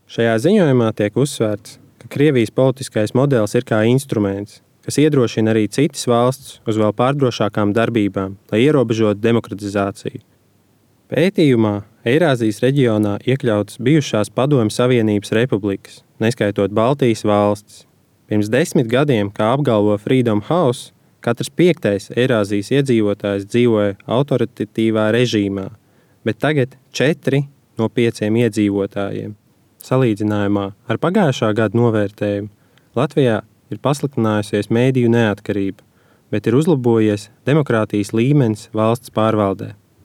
Šajā ziņojumā tiek uzsvērts, ka Krievijas politiskais modelis ir kā instruments, kas iedrošina arī citas valsts uz vēl pārdrošākām darbībām, lai ierobežotu demokratizāciju. Pētījumā Eirāzijas reģionā iekļautas bijušās Padomju Savienības republikas, neskaitot Baltijas valstis. Pirms 10 gadiem, kā apgalvo Freedom House, katrs 5. Eirāzijas iedzīvotājs dzīvoja autoritatīvā režīmā, bet tagad 4 no 5 iedzīvotājiem. Salīdzinājumā ar pagājušā gada novērtējumu Latvijā ir pasliktinājusies mēdīju neatkarība, bet ir uzlabojies demokrātijas līmenis valsts pārvaldē.